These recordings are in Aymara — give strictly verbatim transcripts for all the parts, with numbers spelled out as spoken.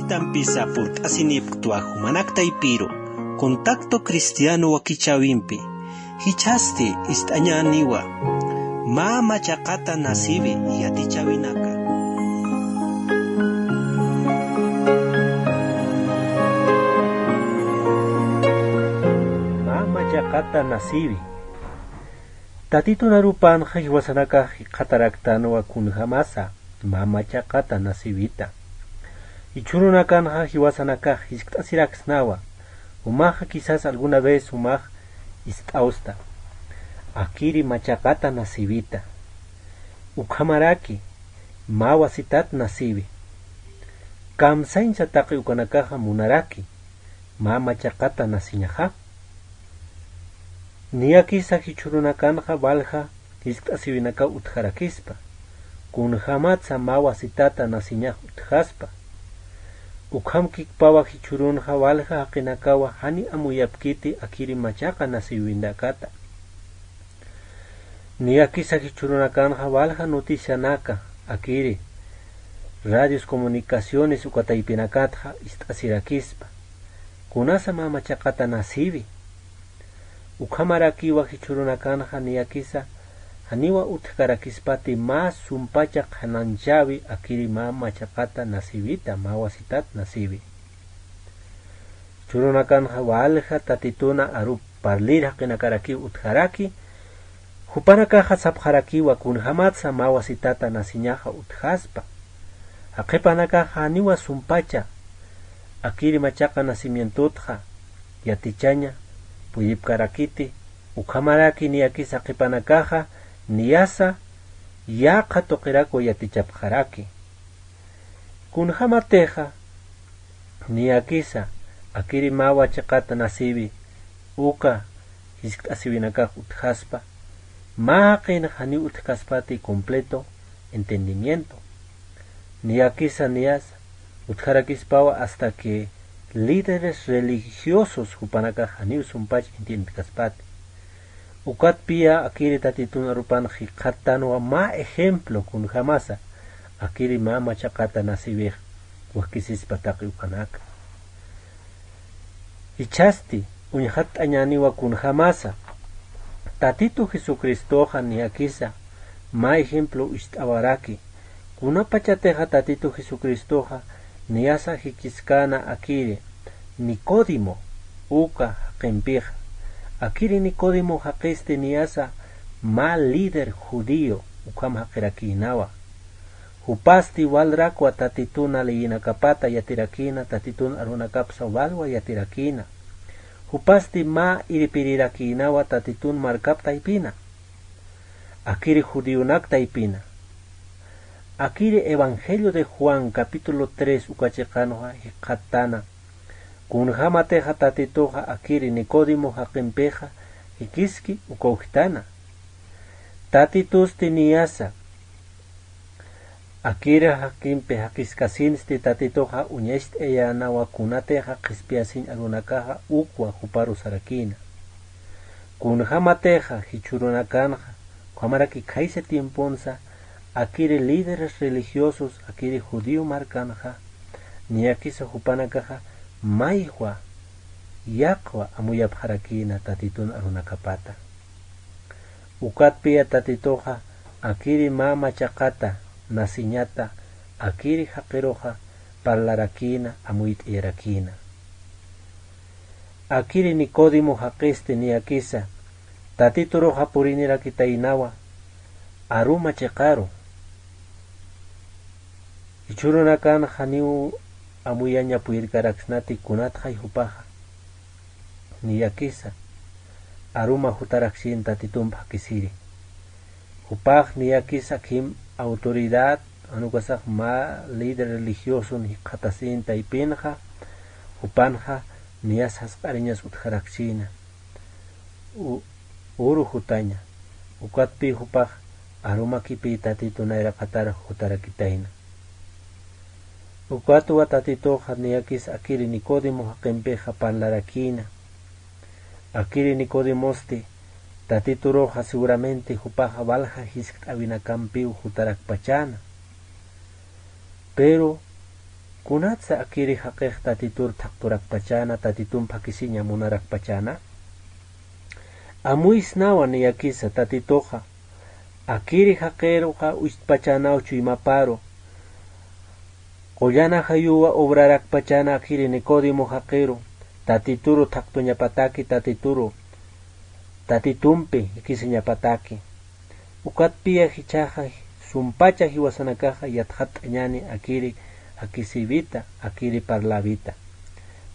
Tampisa purt'asinipktwa jumanaktaypiru, Contacto Cristiano wakichäwimpi, jichhasti ist'añäniwa, mä machaqata nasiwi yatichäwinaka. Mä machaqata nasiwi. Tatitun arupanxa jiwasanakax jikxataraktanwa kunjämasa mä machaqata nasiwita. Jichhürunakanxa jiwasanakax jiskt'asiraksnawa, jumaxa quizás alguna vez jumax ist'awsta, akiri machaqata nasiwita. Ukhamaraki mä wasitat nasiwi. Kamsañsa taqi ukanakaxa munaraki mä machaqata nasiñaxa. Niyakisa jichhürunakanxa walja jiskt'asiwinakaw utjarakispa, kunjämatsa mä wasitata nasiñax utjaspa. Ukhamkikpawa jichhürunxa walja jaqinakawa jani amuyapkiti akiri machaqa nasiwinakata. Niyakisa jichhürunakanxa walja noticianaka akiri radios, comunicaciones uka taypinakatxa ist'asirakispa, kunasa mä machaqata nasiwi. Ukhamarakiwa jichhürunakanxa niyakisa janiwa utjkarakispati mä sumpacha qhanañchäwi akiri mä machaqata nasiwita, mä wasitat nasiwi. Jichhürunakanxa walja Tatituna aru parlir jaqinakarakiw utjaraki, jupanakaxa sapxarakiwa kunjämatsa mä wasitata nasiñaxa utjaspa. Jaqhipanakaxa janiwa sumpacha akiri machaqa nacimientotxa yatichaña puyipkarakiti, ukhamaraki niyakisa jaqhipanakaxa niyasa yaqha tuqirakwa yatichapxaraki. Kunjämatixa niyakisa akiri mä machaqata nasiwi uka jiskt'asiwinakax utjaspa, mä jaqinxa janiw utjkaspati completo entendimiento. Niyakisa niyasa utjarakispawa hasta que líderes religiosos jupanakax janiw sumpach entiendkaspati. Ukatpiya akiri Tatitun arupan jikxattanwa mä ejemplo kunjämasa akiri mä machaqata nasiwix wakisispa taqi ukanaka. Jichhasti uñjatt'añäniwa kunjämasa Tatitu Jesucristoxa niyakisa mä ejemplo ist'awaraki. Kunapachatixa Tatitu Jesucristoxa niyasa jikiskäna akiri Nicodemo uka jaqimpixa. Akiri Nicodemo jaqisti niyasa mä líder judío ukham jaqirakïnawa. Jupasti walrakwa Tatituna leyinakapata yatirakïna, Tatitun arunakapsa walwa yatirakïna. Jupasti mä irpirirakïnawa Tatitun markap taypina. Akiri judionak taypina. Akiri Evangelio de Juan capítulo tres uka chiqanxa jikxattana. Kunjämatixa Tatituxa akiri Nicodemo jaqimpixa jikiski uka ujtana. Tatitusti niyasa akiri jaqimpi jaqiskasinsti Tatituxa uñacht'ayänawa kunatixa qhispiyasiñ arunakaxa ukwa juparu sarakïna. Kunjämatixa jichhürunakanxa, ukhamaraki khaysa tiemponsa, akiri líderes religiosos, akiri judío markanxa, niyakisa jupanakaxa maywa, yaqwa amuyapxarakïna Tatitun arunakapata. Ukatpiya Tatituxa akiri mä machaqata nasiñata akiri jaqiruxa parlarakïna, amuyt'ayarakïna. Akiri Nicodemo jaqisti niyakisa Tatituruxa purinirakitaynawa aruma chiqaru. Jichhürunakan janiw amuyaña puyirkaraksnati kunatxay jupaxa. Niyakisa aruma jutaraksïn Tatitump jakisiri. Jupax niyakisa akhim autoridad, jan ukasax mä líder religioson jikxatasïn taypinxa, jupanxa niyas jasq'ariñas utjaraksïna. U-, uru jutaña. Ukatpï jupax arumakipï Tatitu nayraqatar jutarakitayna. Ukatwa Tatituxa niyakis akiri Nicodemo jaqimpixa parlarakïna. Akiri Nicodemosti Tatituruxa seguramente jupaxa walja jiskt'äwinakampiw jutarakpachäna. Pero Kunatsa akiri jaqix tatitur thaqturakpachana, tatitun phakisiña munarakpachana? Amuysnawa niyakisa tatituxa akiri jaqiruxa uchtpachanaw chuymaparu. Qullana jayuwa obrarakpachana akiri Nicodemo jaqiru, tatituru thaqtuñapataki, tatituru tatitumpi jikisiñapataki. Ukatpiya jichhaxa sumpacha jiwasanakaxa yatxatt'añani akiri jakisïwita, akiri parlawita.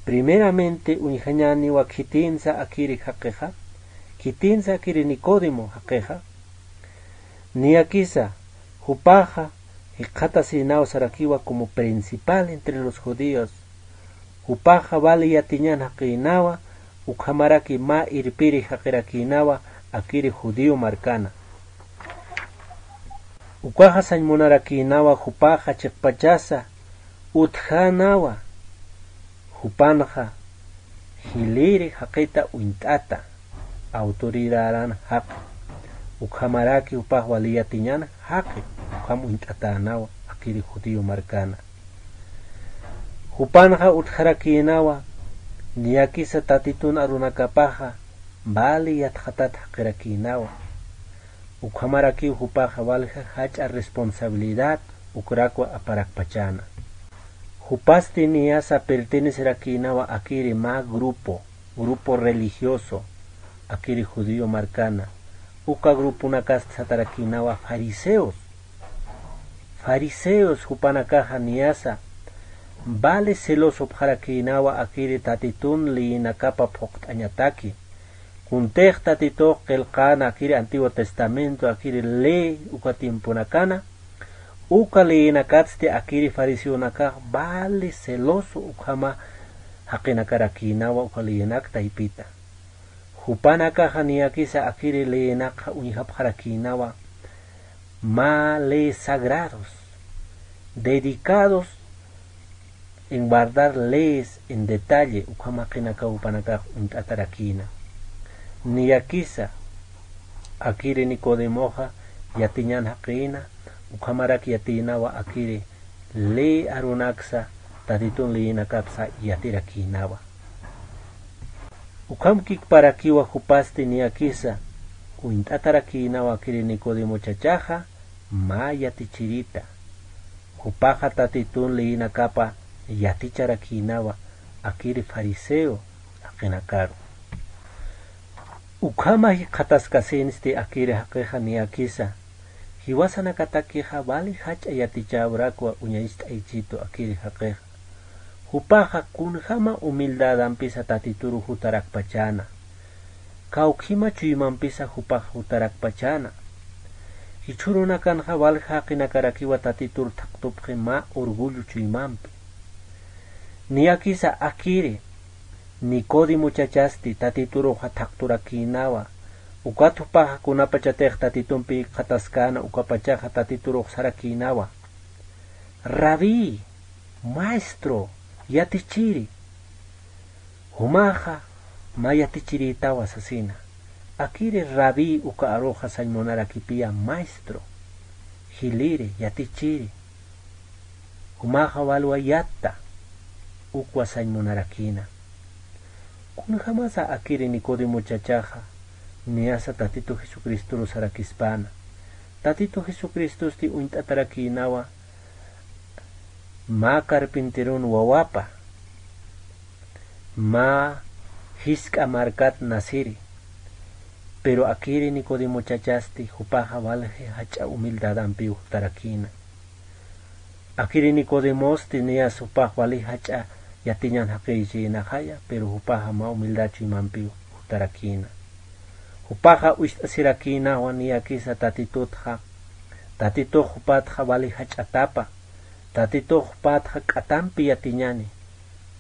Primeramente uñjañaniwa khitinsa akiri jaqixa, khitinsa akiri Nicodemo jaqixa. Niyakisa jupaxa jikxatasïnaw sarakiwa como principal entre los judíos. Jupaxa wali yatiñan jaqïnawa, ukhamaraki mä irpiri jaqirakïnawa akiri judío markana. Ukaxa sañ munarakïnawa jupaxa chiqpachasa utjänawa, jupanxa jiliri jaqita uñt'ata, autoridaran jaqi. Ukhamaraki jupax wali yatiñan jaqi, ukham uñt'atänawa akiri judío markana. Jupanxa utjarakïnawa, niyakisa tatitun arunakapaxa wali yatxatat jaqirakïnawa. Ukhamarakiw jupaxa walja jach'a responsabilidad ukrakwa aparakpachana. Jupasti niyasa pertenecerakïnawa akiri mä grupo, grupo religioso, akiri judío markana. Uka gruponakasti satarakïnawa fariseos. Fariseos jupanakaxa niyasa wali celosopxarakïnawa akiri tatitun leyinakapa phuqt'añataki. Kuntix tatitux qillqäna akiri Antiguo Testamento akiri ley uka tiemponakana, uka leyinakatsti akiri fariseonakax wali celoso ukhama jaqinakarakïnawa uka leyinak taypita. Jupanakaxa niyakisa akiri leyinakxa uñjapxarakïnawa mä leyes sagrados, dedicados en guardar leyes en detalle, ukham jaqinakaw jupanakax uñt'atarakïna. Niyakisa akiri Nicodemoxa yatiñan jaqïna, ukhamarak yatïnawa akiri ley arunaksa, tatitun leyinakapsa yatirakïnawa. Ukham kikparakiwa jupasti niyakisa uñt'atarakïnawa akiri Nicodemochachaxa mä yatichirita. Jupaxa tatitun leyinakapa yaticharakïnawa akiri fariseo jaqinakaru. Ukhama jikxataskasinsti akiri jaqixa niyakisa, jiwasanakatakixa wali jach'a yatichäwrakwa uñacht'aychitu akiri jaqixa. Jupaxa kunjama humildadampisa tatituru jutarakpachäna. Kawkhima chuymampisa jupax jutarakpachäna. Jichhürunakanxa walja jaqinakarakiwa tatitur thaqtupxi mä orgullo chuymampi. Niyakisa akiri Nicodemochachasti tatituruxa thaqturakïnawa. Ukat jupaxa kunapachatix tatitumpi jikxataskäna ukapachaxa tatiturux sarakïnawa: Rabí, maestro, yatichiri. Jumaxa mä yatichirïtawa sasina. Akiri rabí uka aruxa sañ munarakipiya maestro, jiliri, yatichiri. Jumaxa walwa yatta, ukwa sañ munarakïna. Kunjamasa akiri Nicodemochachaxa niyasa Tatitu Jesucristoru sarakispäna. Tatitu Jesucristosti uñt'atarakïnawa mä carpinterun wawapa, mä jisk'a markat nasiri. Pero akiri Nicodemochachasti jupaxa walji jach'a humildadampiw jutarakïna. Akiri Nicodemosti niyas jupax wali jach'a yatiñan jaqïchïnaxaya, pero jupaxa mä humildad chuymampiw jutarakïna. Jupaxa ucht'asirakïnawa niyakisa Tatitutxa, Tatitux jupatxa wali jach'atapa, Tatitux jupatxa k'atampi yatiñani.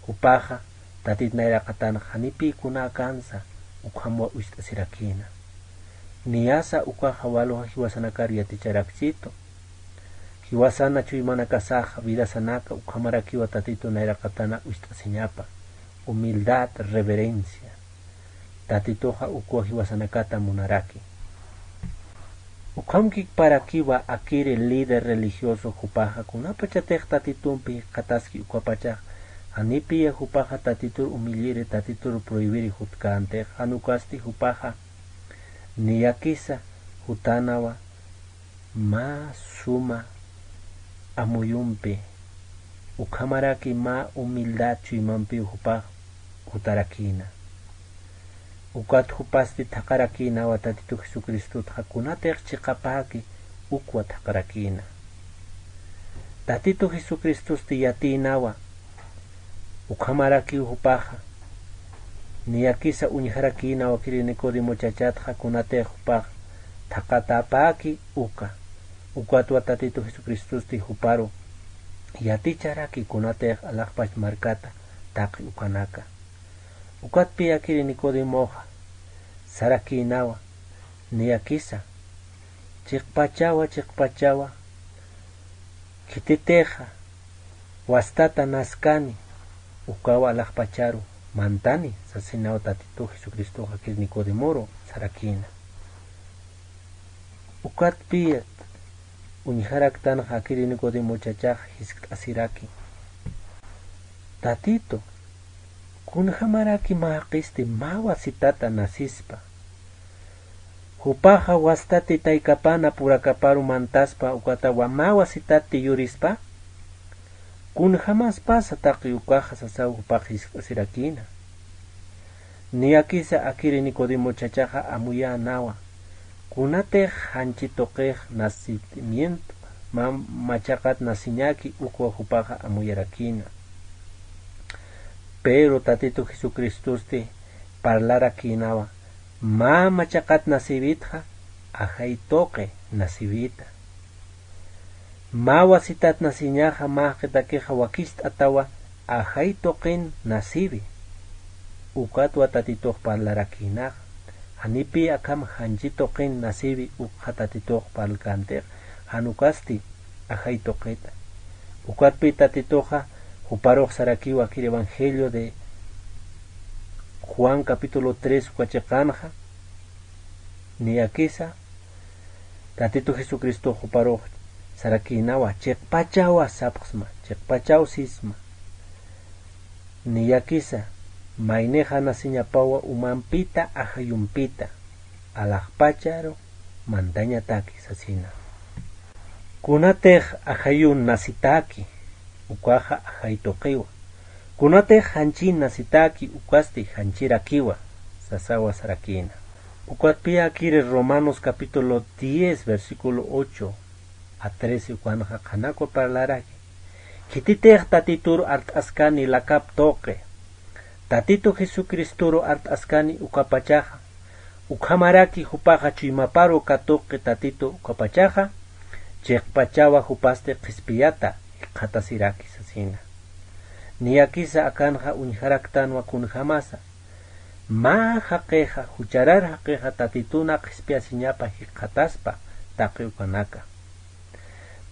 Jupaxa Tatit nayraqatanxa janipï kunakansa ukhamwa ucht'asirakïna. Niyasa ukaxa walja jiwasanakar yaticharakchitu. Jiwasana chuymanakasaxa vidasanaka ukhamarakiwa Tatitu nayraqatana ucht'asiñapa. Humildad, reverencia. Tatituxa ukwa jiwasanakata munaraki. Ukhamkikparakiwa akiri líder religioso jupaxa kunapachatix tatitumpi jikxataski ukapachax, janipiya jupaxa tatitur humilliri, tatitur prohibiri jutkantix, jan ukasti jupaxa niyakisa jutanawa mä suma amuyumpi, ukhamaraki mä humildad chuymampiw jupax jutarakïna. Ukat jupasti thaqharakïnawa Tatitu Jesucristotxa kunatix chiqapäki ukwa thaqharakïna. Tatitu Jesucristosti yatïnawa, ukhamarakiw jupaxa, niyakisa uñjarakïnawa akiri Nicodemo chachatxa kunatix jupax thaqhatäpäki uka. Ukatwa Tatitu Jesucristosti juparu yaticharaki kunatix alaxpach markata taqi ukanaka. Ukatpi akiri Nicodemoxa sarakïnawa, niyakisa, chiqpachawa, chiqpachawa, khititixa wastata naskani, ukawa alaxpacharu mantani, sasinawa Tatitu Jesucristoxa akiri Nicodemoru sarakïna. Ukatpiyat uñjaraktanxa akiri Nicodemo chachax jiskt'asiraki. Tatitu, kunjamaraki mä jaqisti mä wasitata nasispa. Jupaxa wastati taykapana purakaparu mantaspa ukatawa mä wasitati yurispa? Kunjamaspasa taqi ukaxa sasaw jupax jiskt'asirakïna. Niyakisa akiri Nicodemo chachaxa amuyänawa. Kunatix janchi tuqix nacimiento, mä machaqat naciñäki ukwa jupaxa amuyarakïna. Pero Tatitu Jesucristosti parlarakïnawa, mä machaqat nacïwitxa ajay tuqi nacïwita. Mä wasitat naciñaxa mä jaqitakixa wakicht'atawa ajay tuqin nacïwi. Ukatwa Tatitux parlarakïnaxa. Janipï akham janchi tuqin nacïwi ukxa Tatitux parlkantix, jan ukasti ajay tuqita. Ukatpï Tatituxa juparux sarakiwa akir Evangelio de Juan capítulo tres uka chiqanxa, niyakisa Tatitu Jesucristox juparux sarakïnawa, chiqpachawa sapxsma, chiqpachaw sisma. Niyakisa, maynixa naciñapawa umampita ajayumpita, alaxpacharu mantañataki sasina. Kunatix ajayun nacitaki, ukaxa ajay tuqiwa. Kunatix janchin nacitaki, ukasti janchirakiwa, sasawa sarakïna. Ukatpï akiri Romanos capítulo diez, versículo ocho a trece ukanxa qhanakwa parlaraki. Khititix Tatitur art'askani lakap tuqi, Tatitu Jesucristoru art'askani ukapachaxa, ukhamaraki jupaxa chuymaparu katuqi Tatitu ukapachaxa, chiqpachawa jupasti qhispiyata jikxatasiraki sasina. Niyakisa akanxa uñjaraktanwa kunjamasa, mä jaqixa, jucharar jaqixa Tatituna qhispiyasiñapa jikxataspa taqi ukanaka.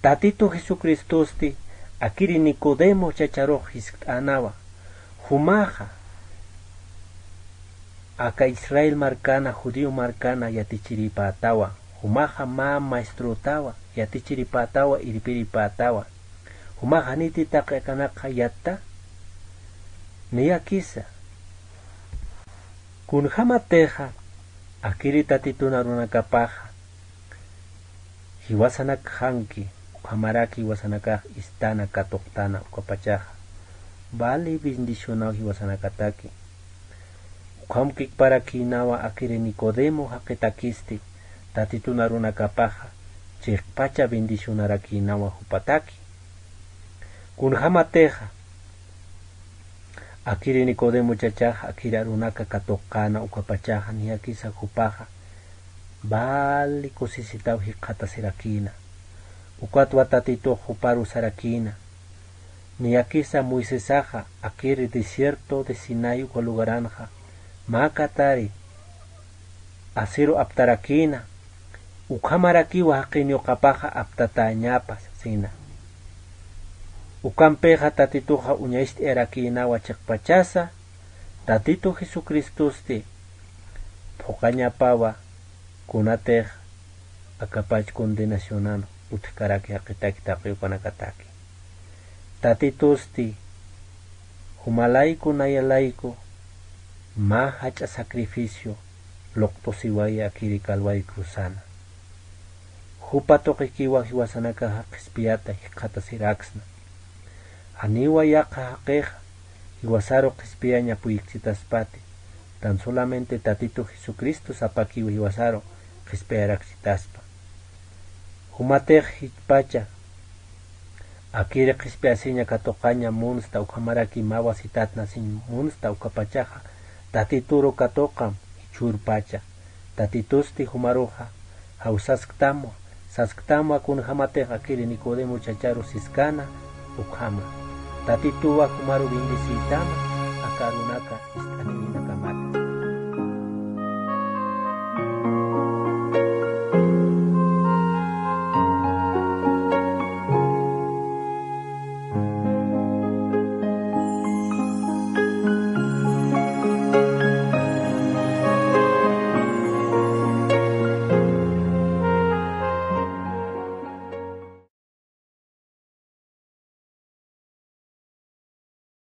Tatitu Jesucristosti akiri Nicodemo chacharux jiskt'änawa, jumaxa aka Israel markana, judío markana yatichiripätawa, jumaxa mä maestrotawa, yatichiripätawa, irpiripätawa, jumax janiti taqi akanakxa yatta, niyakisa. Kunjamatixa akiri Tatitun arunakapaxa jiwasanakxanki, ukhamaraki jiwasanakax istana katuqtana ukapachaxa, vali bendicionaw jiwasanakataki. Ukhamkikparakïnawa akiri Nicodemo jaqitakisti, Tatitun arunakapaxa chiqpacha bendicionarakïnawa jupataki. Kunjamatixa akiri Nicodemo chachaxa akiri arunaka katuqkäna ukapachaxa, niyakisa jupaxa vali kusisitaw jikxatasirakïna. Ukatwa Tatitux juparu sarakïna, niyakisa Moisesaxa akiri desierto de Sinaí uka lugaranxa mä katari asiru aptarakïna, ukhamarakiwa jaqin yuqapaxa aptatäñapa sasina. Ukampixa Tatituxa uñacht'ayarakïnawa chiqpachasa, Tatitu Jesucristosti phuqañapawa kunatix akapach condenacionan utjkaraki jaqitaki taqi ukanakataki. Tatitusti jumalayku nayalayku mä jach'a sacrificio luqtusiwaya akiri Calvario cruzana. Jupa tuqikiwa jiwasanakaxa qhispiyata jikxatasiraksna. Janiwa yaqha jaqixa jiwasaru qhispiyañ apuyikchitaspati, tan solamente Tatitu Jesucristo sapakiw jiwasaru qhispiyarakchitaspa. Jumatix jichpacha akiri qhispiyasiña katuqaña munsta ukhamaraki mä wasitatnasiñ munsta ukapachaxa Tatituru katuqam jichhürpacha. Tatitusti jumaruxa jawsasktamwa, sasktamwa kunjämatix akiri Nicodemo chacharu siskana ukhama. Tatituwa jumaru bendeciytama aka arunaka ist'aniw